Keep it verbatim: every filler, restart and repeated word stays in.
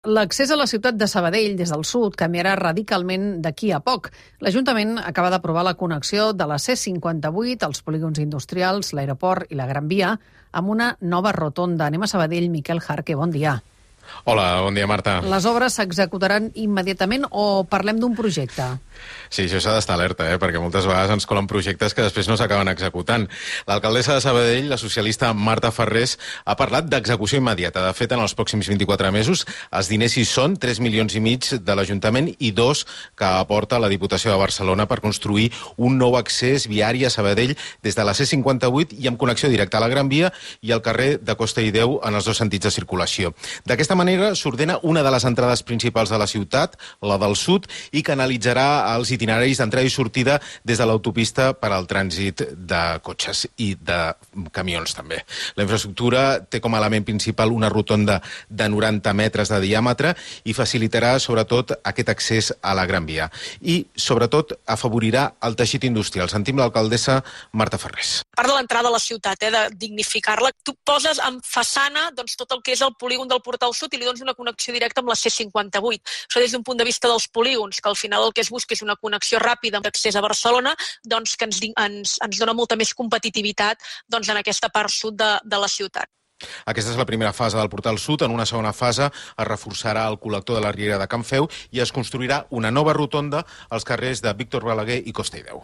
L'accés a la ciutat de Sabadell des del sud canviarà radicalment d'aquí a poc. L'Ajuntament acaba d'aprovar la connexió de la C cinquanta-vuit, els polígons industrials, l'aeroport i la Gran Via amb una nova rotonda. Anem a Sabadell. Miquel Jarque, bon dia. Hola, bon dia, Marta. Les obres s'executaran immediatament o parlem d'un projecte? Sí, això s'ha d'estar alerta, eh? perquè moltes vegades ens colen projectes que després no s'acaben executant. L'alcaldessa de Sabadell, la socialista Marta Farrés, ha parlat d'execució immediata. De fet, en els pròxims vint-i-quatre mesos, els diners hi són, tres milions i mig de l'Ajuntament i dos que aporta la Diputació de Barcelona per construir un nou accés viari a Sabadell des de la C cinquanta-vuit i amb connexió directa a la Gran Via i al carrer de Costa i Déu en els dos sentits de circulació. D'aquesta manera s'ordena una de les entrades principals de la ciutat, la del sud, i canalitzarà els itineraris d'entrada i sortida des de l'autopista per al trànsit de cotxes i de camions també. La infraestructura té com a element principal una rotonda de noranta metres de diàmetre i facilitarà sobretot aquest accés a la Gran Via. I sobretot afavorirà el teixit industrial. Sentim l'alcaldessa Marta Farrés. A part de l'entrada a la ciutat, eh, de dignificar-la, tu poses en façana doncs, tot el que és el polígon del Portal Sud i li dones una connexió directa amb la C cinquanta-vuit. Això des d'un punt de vista dels polígons, que al final el que es busca és una connexió ràpida d'accés a Barcelona, doncs que ens, ens, ens dona molta més competitivitat doncs, en aquesta part sud de, de la ciutat. Aquesta és la primera fase del Portal Sud. En una segona fase es reforçarà el col·lector de la Riera de Can Feu i es construirà una nova rotonda als carrers de Víctor Balaguer i Costa i Déu.